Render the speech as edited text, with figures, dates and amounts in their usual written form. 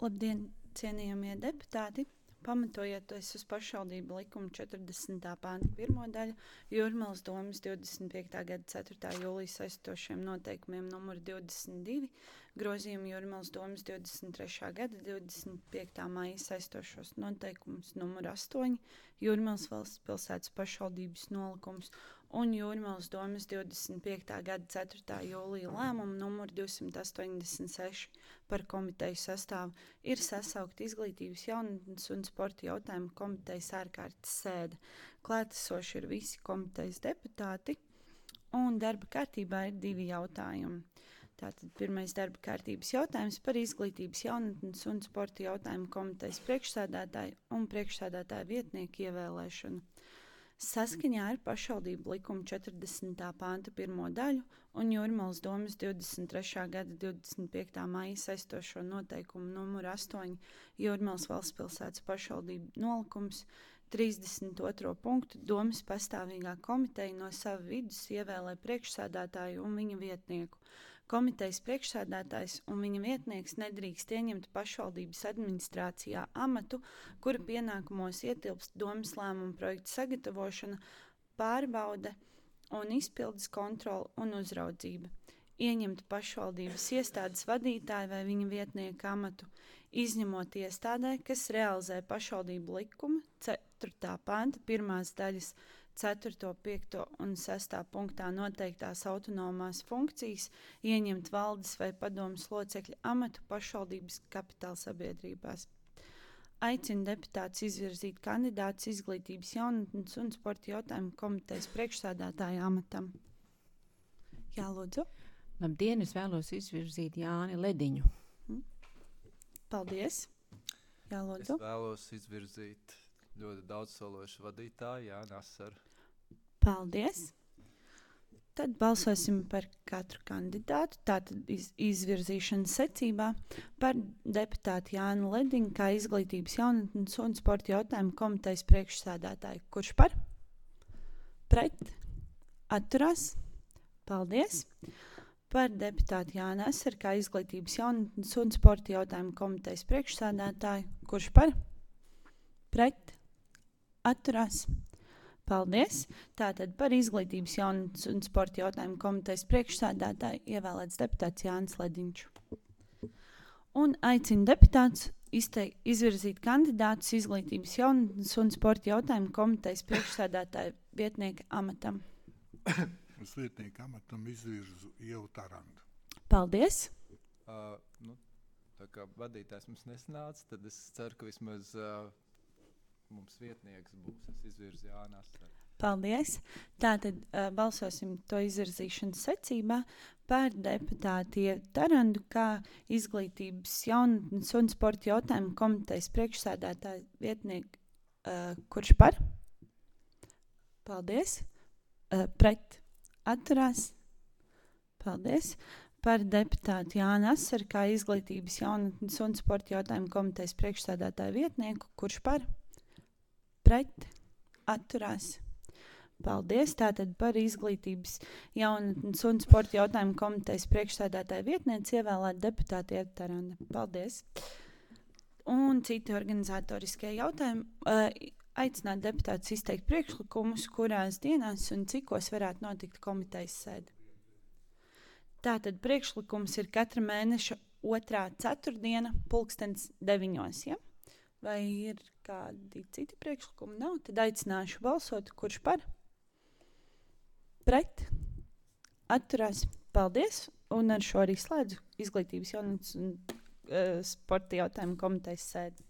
Labdien, cienījamie deputāti! Pamatojoties uz pašvaldību likuma 40. panta 1. daļu, Jūrmalas domes 25. gada 4. jūlijas saistošiem noteikumiem numur 22, grozījumu Jūrmalas domes 23. gada 25. maija saistošos noteikumus numur 8, Jūrmalas valsts pilsētas pašvaldības nolikums un Jūrmalas domes 25. gada 4. jūlija lēmumu numur 286 par komiteju sastāvu ir sasaukta izglītības, jaunatnes un sporta jautājumu komitejas ārkārtas sēde. Klātesoši ir visi komitejas deputāti un darba kārtībā ir 2 jautājumi. Tātad pirmais darba kārtības jautājums par izglītības, jaunatnes un sporta jautājumu komitejas priekšsēdētāju un priekšsēdētāju vietnieku ievēlēšanu. Saskaņā ar pašvaldību likuma 40. panta 1. daļu un Jūrmalas domes 23. gada 25. maija saistošo noteikumu numuru 8 Jūrmalas valsts pilsētas pašvaldību nolikums 32. punktu domes pastāvīgā komiteja no sava vidus ievēlē priekšsēdētāju un viņa vietnieku. Komitejas priekšsēdētājs un viņa vietnieks nedrīkst ieņemt pašvaldības administrācijā amatu, kura pienākumos ietilpst domes lēmumu projektu sagatavošana, pārbaude un izpildes kontrole un uzraudzība. Ieņemt pašvaldības iestādes vadītāju vai viņa vietnieka amatu, izņemot iestādē, kas realizē pašvaldību likuma 4. panta 1. daļas 4., 5. un 6. punktā noteiktās autonomās funkcijas, ieņemt valdes vai padomes locekļa amatu pašvaldības kapitāla sabiedrībās. Aicina deputātus izvirzīt kandidātus izglītības, jaunatnes un sporta jautājumu komitejas priekšsēdētāja amatam. Jā, lūdzu. Labdien, es vēlos izvirzīt Jāni Lediņu. Paldies. Jā, lūdzu. Es vēlos izvirzīt ļoti daudzsološu vadītāju Jāni Asaru. Paldies. Tad balsosim par katru kandidātu, tātad izvirzīšanas secībā par deputātu Jānu Lediņu kā izglītības, jaunatnes un sporta jautājumu komitejas priekšsēdētāju. Kurš par? Pret? Atturās? Paldies. Par deputātu Jānu Asaru kā izglītības, jaunatnes un sporta jautājumu komitejas priekšsēdētāju. Kurš par? Pret? Atturās? Paldies! Tātad par izglītības, jaunatnes un sporta jautājumu komitejas priekšsēdētāju ievēlēts deputāts Jānis Lediņš. Un aicina deputātus izvirzīt kandidātus izglītības, jaunatnes un sporta jautājumu komitejas priekšsēdētāju vietnieka amatam. Uz vietnieka amatam izvirzu Ievu Tarandu. Paldies! Tā kā vadītājs mums nesanāca, tad es ceru, ka vismaz mums vietnieks būs. Es izvirzu Jāni Asaru. Paldies! Tātad balsosim to izvirzīšanas secībā par deputātu Ievu Tarandu kā izglītības, jaunatnes un sporta jautājumu komitejas priekšsēdētāju vietnieku. Kurš par? Paldies! Pret? Atturās? Paldies! Par deputātu Jāni Asaru kā izglītības, jaunatnes un sporta jautājumu komitejas priekšsēdētāju vietnieku. Kurš par? Pret? Atturās? Paldies! Tātad par izglītības, jaunatnes un sporta jautājumu komitejas priekšsēdētāju vietnieci ievēlēt deputāti Ievu Tarandu. Paldies! Un citi organizatoriskie jautājumi. Aicināt deputātus izteikt priekšlikumus, kurās dienās un cikos varētu notikt komitejas sēde. Tātad priekšlikums ir katra mēneša 2. ceturtdiena 9:00, ja? Vai ir kādi citi priekšlikumi? Nav, tad aicināšu balsot. Kurš par? Pret? Atturās? Paldies! Un ar šo arī slēdzu izglītības, jaunatnes un sporta jautājumu komitejas sēdi.